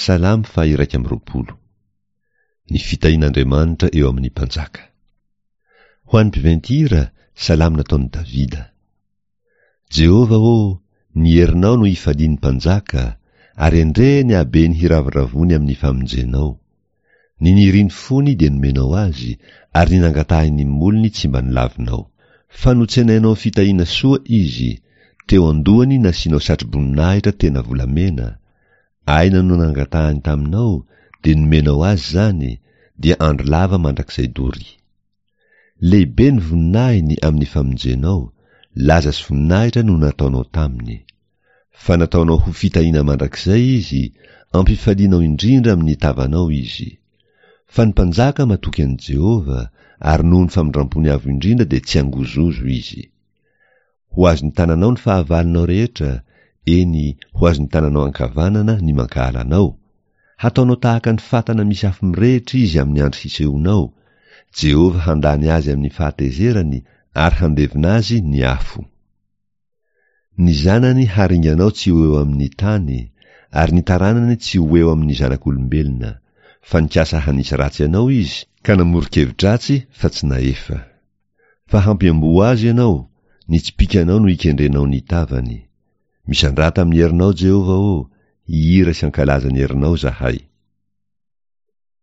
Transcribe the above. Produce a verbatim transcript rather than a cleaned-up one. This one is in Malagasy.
Salamo faha-iraika amby roapolo. Ny fitahian'Andriamanitra eo amin'ny mpanjaka. Ho an'ny mpiventy hira, salamo nataon'i Davida. Jehovah ô, ny herinao no ifalian'ny mpanjaka, ary endrey ny habeny hiravoravoany amin'ny famonjenao. Ny niriny fony dia nomenao azy, ary ny nangatahin'ny molony tsy mba nolavinao. Fa notsenainao fitahiana soa izy, teo an-dohany nasianao satroboninahitra tena volamena, aina no nangatahany taminao, dia nomenao azy izany, dia andro lava mandrakizay doria. Lehibe ny voninahiny amin'ny famonjenao, laza sy voninahitra no nataonao taminy. Fa nataonao ho fitahiana mandrakizay izy, ampifalianao indrindra amin'ny tavanao izy. Fa ny mpanjaka matoky an'i Jehovah, ary noho ny famindrampony avo indrindra dia tsy angozozo izy. Ho azon'ny tananao ny fahavalonao rehetra, eny, ho azon'ny tananao ankavanana ny mankahala anao. Hataonao tahaka ny fatana misy afo mirehitra izy amin'ny andro hisehoanao, Jehovah handany azy amin'ny fahatezerany ary handevona azy ny afo. Ny zanany haringanao tsy ho eo amin'ny tany, ary ny taranany tsy ho eo amin'ny zanak'olombelona, fa nikasa hanisy ratsy anao izy, ka namoron-kevi-dratsy fa tsy nahefa. Fa hampiamboho azy ianao, ny tsipìkanao no ikendrenao ny tavany. Misandrata amin'ny herinao, Jehovah ô, hihira sy hankalaza ny herinao izahay.